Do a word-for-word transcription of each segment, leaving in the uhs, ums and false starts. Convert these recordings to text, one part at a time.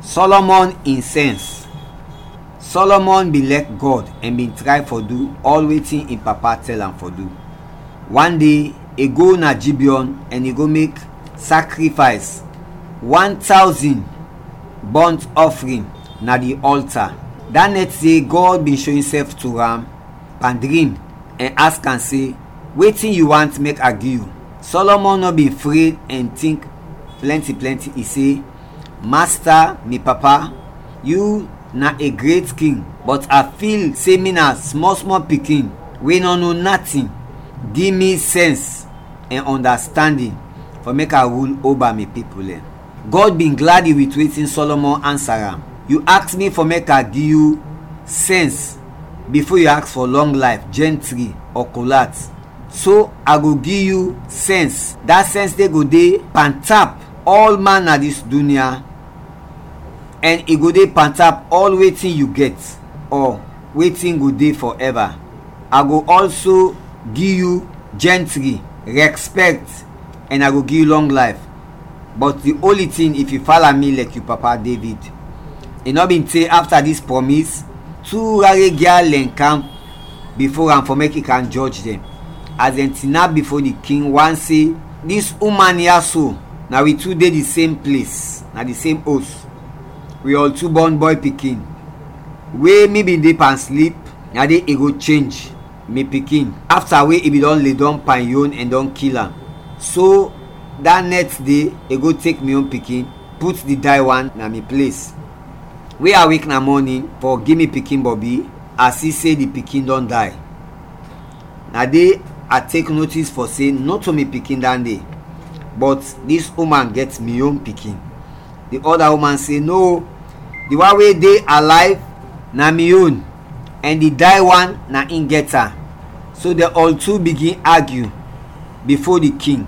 Solomon in sense. Solomon bin lɛk Gɔd ɛn bin tray fɔ du ɔl wetin in papa tɛl am fɔ du. Wan de, i go na Gibeon ɛn i go mek sakrifays, wan tawzin bɔnt ɔfrin na di ɔlta. Da nɛt de, Gɔd bin sho insɛf to am pan drim ɛn aks am se, "Wetin yu want mek a gi yu?" Solomon nɔ bin fred ɛn tink plɛnti plɛnti, i se, "Masta, mi papa, yu na a gret king, bɔt a fil se mi na smɔl smɔl pikin we nɔ no natin. Gi mi sɛns ɛn ɔndastandin fɔ mek a rul oba mi pipul dɛn." Gɔd bin gladi wit wetin Solomon ansa am. "Yu aks mi fɔ mek a gi yu sɛns bifo yu aks fɔ lɔng layf, jɛntri, ɔ kolat. So a go gi yu sɛns. Da sɛns de go de pantap ɔl man na dis dunya, ɛn i go de pantap ɔl wetin yu gɛt, ɔ wetin go de fɔɛva. A go ɔlso gi yu jɛntri, rɛspɛkt, ɛn a go gi yu lɔng layf. Bɔt di onli tin, if yu fala mi lɛk yu papa Devid." I nɔ bin te afta dis prɔmis, tu rare gyal dɛn kam bifo am fɔ mek i kam jɔj dɛn. As dɛn tinap bifo di king, wan se, "Dis uman ya so, na wi tu de di sem ples, na di sem os. Wi ɔl tu bɔn bɔy pikin. We mi bin de pan slip, na de i go chenj mi pikin, afta we i bin dɔn ledɔm pan yon ɛn dɔn kil am. So da nɛt de, i go tek mi yon pikin, put di day wan na mi ples. We a wek na mɔnin fɔ gi mi pikin bɔbi, a si se di pikin dɔn day. Na de a tek notis fɔ se nɔto mi pikin dɔn de, bɔt dis uman gɛt mi yon pikin." Di ɔda uman se, "No, di wan we de alayv na mi yon, ɛn di day wan na in gɛt am." So dɛn ɔl tu bigin agyu bifo di king.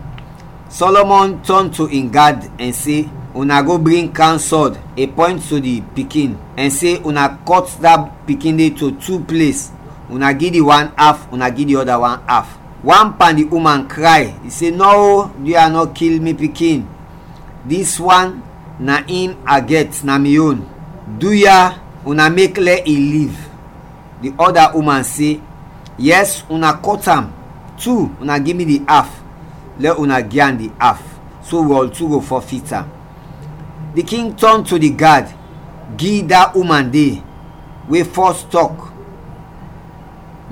Solomon tɔn to in gad ɛn se, "Una go bring kam sɔd, i pɔynt to di pikin, ɛn se, 'Una kɔt da pikin de to tu ples, una gi di wan af, una gi di ɔda wan af.'" Wan pan di uman kray, i se, "Nɔ, duya nɔ kil mi pikin. Dis wan na in a gɛt, na mi yon. Duya, una mek lɛ i liv." Di ɔda uman se, "Yɛs, una kɔt am tu, una gi mi di af, lɛ una gi am di af, so wi ɔl tu go fɔfit am." Di king tɔn to di gad, gi da uman de we fɔs tɔk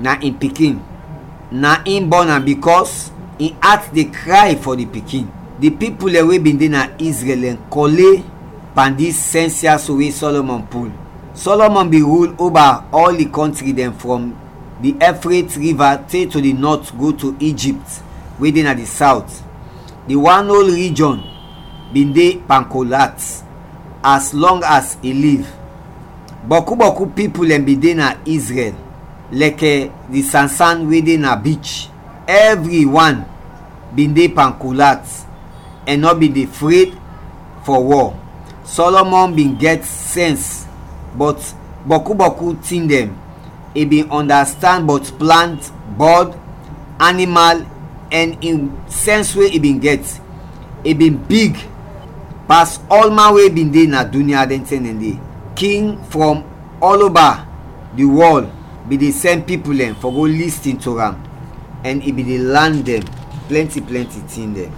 na in pikin, na in bɔn am, bikɔs in at de kray fɔ di pikin. Di pipul dɛn we bin de na Izrɛl dɛn kɔle pan dis sɛns ya so we Solomon pul. Solomon bin rul oba ɔl di kɔntri dɛn, frɔm di Efret riva te to di nɔt go to Ijipt we de na di sawt. Di wan ol rijɔn bin de pan kolat, as lɔng as i liv. Bɔku bɔku pipul dɛn bin de na Izrɛl, lɛkɛ di sansan we de na bich. Ɛvriwan bin de pan kolat ɛn nɔ bin de fred fɔ wɔ. Solomon bin gɛt sɛns bɔt bɔku bɔku tin dɛn. I bin ɔndastand bɔt plant, bɔd, animal, ɛn in sɛns we i bin gɛt, i bin big pas ɔlman we bin de na dunya dɛn tɛm dɛn de. King frɔm ɔloba di wɔl bin de sɛn pipul dɛn fɔ go listin to am, ɛn i bin de lan dɛn plɛnti plɛnti tin dɛn.